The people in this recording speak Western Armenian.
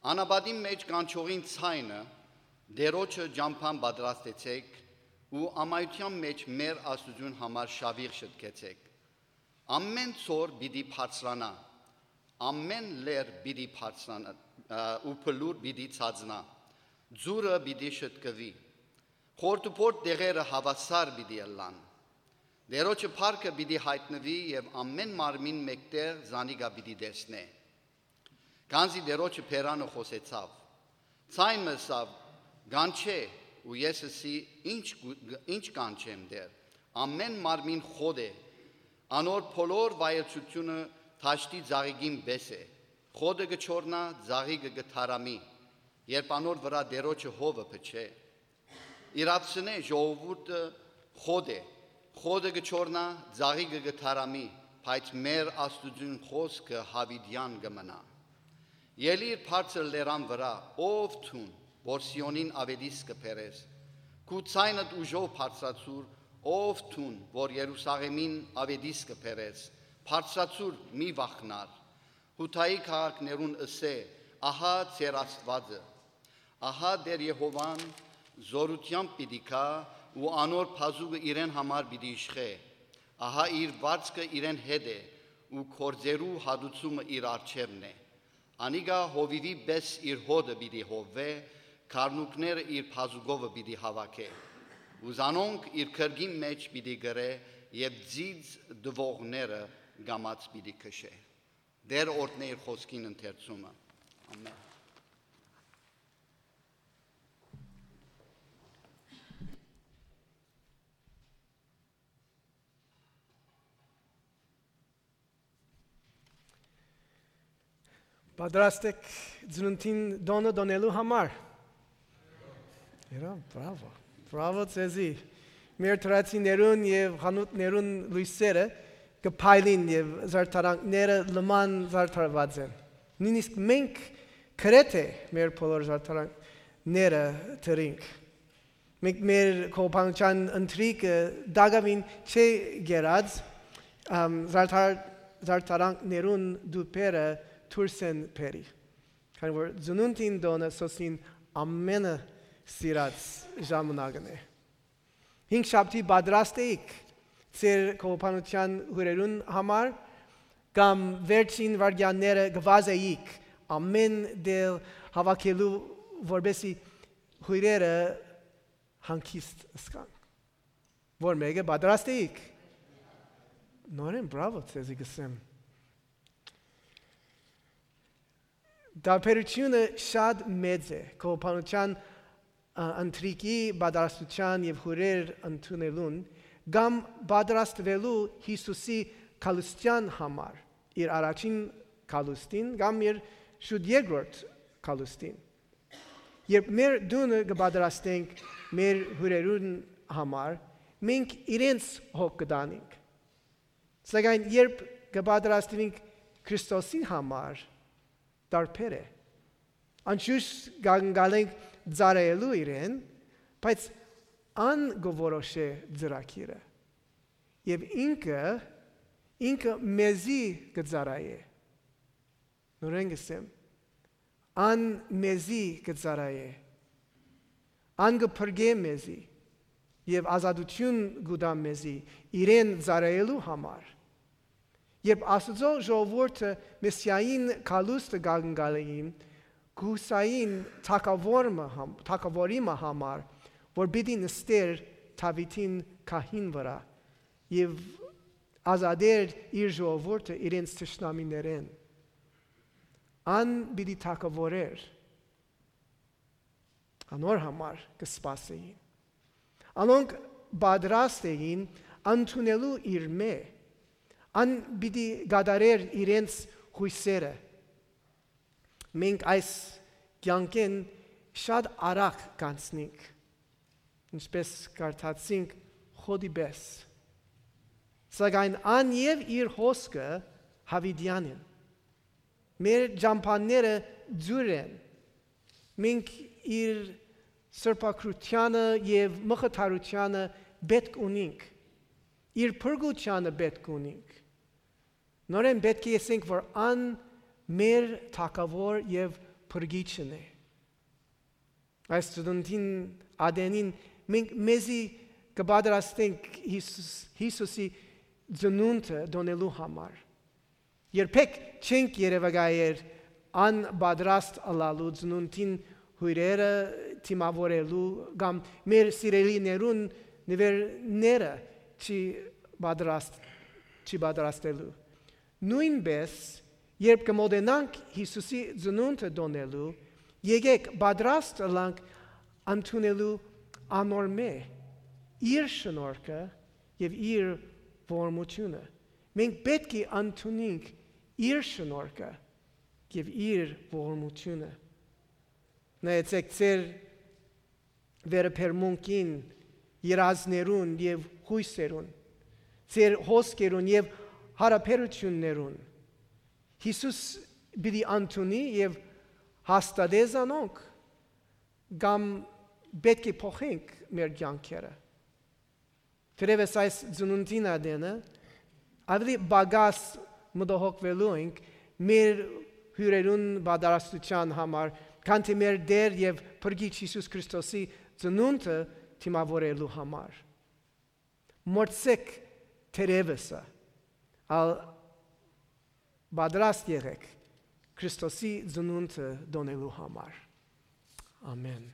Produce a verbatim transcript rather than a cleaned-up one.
Անապատին մէջ կանչողին ձայնը, Տէրոջը ճամբան պատրաստեցէք ու ամայութեան մէջ մեր Աստուծոյն համար շաւիղ շտկեցէք։ Ամէն ձոր պիտի բարձրանայ, ամէն լեռ պիտի բարձրանայ, ը, ու բլուր պիտի ցածնայ, ձուրը պիտի շտկուի, խորտուբորտ տեղերը հաւասար պիտի ըլլան։ Տէրոջը փառքը պիտի յայտնուի եւ ամէն մարմին մէկտեղ զանիկա պիտի տեսնէ։ Քանզի Տէրոջը բերանը խօսեցաւ։ Ձայն մը ըսաւ. «Կանչէ», ու ես ըսի. «Ի՞նչ կու-, ի՞նչ կանչեմ, Տէր»։ Ամէն մարմին խոտ է, անոր բոլոր վայելչութիւնը դաշտի ծաղիկին պէս է։ Խոտը կը չորնայ, ծաղիկը կը թարամի, երբ անոր վրայ Տէրոջը հովը փչէ։ Իրացնէ ժողովուրդը խոտ է, խոտը կը չորնայ, ծաղիկը կը թարամի, բայց մեր Աստուծոյն խօսքը յաւիտեան կը մնայ։ Ելի՛ր բարձր լերան վրայ, ով դուն, որ Սիոնին աւետիս կը բերես, քու ձայնդ ուժով բարձրացուր, ով դուն, որ Երուսաղէմին աւետիս կը բերես, բարձրացուր, մի վախնար։ Յուդայի քաղաքներուն ըսէ. «Ահա ձեր Աստուածը»։ Ահա Տէր Եհովան զօրութեամբ պիտի գայ ու անոր բազուկը իրեն համար պիտի իշխէ։ Ահա իր վարձքը իրեն հետ է ու գործերու հատուցումը իր առջեւն է։ Անիկա հովիւի պէս իր հոտը պիտի հովուէ, գառնուկները իր բազուկովը պիտի հաւաքէ։ Ու զանոնք իր քրկին մէջ պիտի կրէ եւ ձիծ տուողները կամաց պիտի քշէ։ Տէր օրհնէ իր խօսքին ընթերցումը։ Ամէն։ Պատրաստ եք ծնունդին տօնը տոնելու համար։ Երա, բրավո, բրավո ձեզի։ Մեր թրացիներուն եւ խանութներուն լոյսերը կը փայլին եւ զարդարանքները լման զարդարուած են։ Նույնիսկ մենք գրեթէ մեր բոլոր զարդարանքները դրինք։ Մենք մեր կողբանութեան ընթրիքը տակաւին չի գերած, ամ, զարդար-, զարդարանքներուն տուփերը դուրս են բերի, քանի որ ծնունդին տօնը Սոսին ամենը սիրած ժամանակն է։ Հինգ շաբթի պատրաստ էիք ձեր կողբանութեան հյուրերուն համար, կամ վերջին վայրկեանները կը վազէիք ամէն տեղ հաւաքելու, որպեսզի հյուրերը հանգիստ ըսկան։ Որ մէկը պատրաստ էիք։ Նորեն բրավո ձեզի կ'ըսեմ։ Տարբերութիւնը շատ մեծ է կողբանութեան, ա, ընթրիքի պատրաստութեան եւ հյուրեր ընդունելուն կամ պատրաստուելու Յիսուսի գալուստեան համար, իր առաջին գալուստին կամ իր շուտ երկրորդ գալուստին։ Երբ մեր տունը կը պատրաստենք մեր հյուրերուն համար, մենք իրենց հոգ կը տանենք։ Սակայն երբ կը պատրաստուինք Քրիստոսի համար, տարբեր է։ Անշուշտ կ'ընկալենք ծառայելու իրեն, բայց ան կը որոշէ ծրագիրը։ Եւ ինքը, ինքը մեզի կը ծառայէ։ Նորեն կ'ըսեմ, ան մեզի կը ծառայէ։ Ան կը փրկէ մեզի եւ ազատութիւն կու տայ մեզի իրեն ծառայելու համար։ Երբ Աստուծոյ ժողովուրդը Մեսիային գալուստը կ'ընկալէին, կ'ուսային թագաւոր մը համ-, թագաւորի մը համար, որ պիտի նստէր Դաւիթին գահին վրայ եւ ազատէր իր ժողովուրդը իրենց թշնամիներէն։ Ան պիտի թագաւորէր։ Անոր համար կը սպասէին։ Անոնք պատրաստ էին ընդունելու իրմէ։ Ան պիտի կատարէր իրենց յուսերը։ Մենք այս կեանքէն շատ արագ կանցնենք, ինչպես կարդացինք, խոտի պէս։ Սակայն ան եւ իր հոսքը յաւիտեան են։ Մեր ճամբաները ձուր են։ Մենք իր սրբագրութեանը եւ մխիթարութեանը պէտք ունինք։ Իր փրկութեանը պէտք ունինք։ Նորեն պէտք է ըսենք, որ ան մեր թագաւոր եւ փրկիչն է։ Այս ծնունդին ատենին մենք մեզի կը պատրաստենք Յիսուս, Յիսուսի ծնունդը տոնելու համար։ Երբեք չենք երեւակայեր անպատրաստ ըլլալու ծնունդին հյուրերը դիմաւորելու կամ մեր սիրելիներուն նուէրները չի պատրաստ, չի պատրաստելու։ Նոյնպէս, երբ կը մօտենանք Յիսուսի ծնունդը տոնելու, եկեք պատրաստ ըլլանք ընդունելու անոր մէ իր շնորհքը եւ իր ողորմութիւնը։ Մենք պէտք է ընդունենք իր շնորհքը եւ իր ողորմութիւնը։ Նայեցեք ձեր վերաբերմունքին, երազներուն եւ յոյսերուն, ձեր հոսքերուն եւ յարաբերութիւններուն։ Յիսուս պիտի ընդունի եւ հաստատէ զանոնք, կամ պէտք է փոխենք մեր կեանքերը։ Թերեւս այս ծնունդին ատենը ավելի պակաս մտահոգուելու ենք մեր հիւրերուն պատրաստութեան համար, քան թէ մեր Տէր եւ Փրկիչ Յիսուս Քրիստոսի ծնունդը դիմաւորելու համար։ Մոռցէք թերեւսը, ալ պատրաստ եղէք Քրիստոսի ծնունդը տոնելու համար։ Ամեն։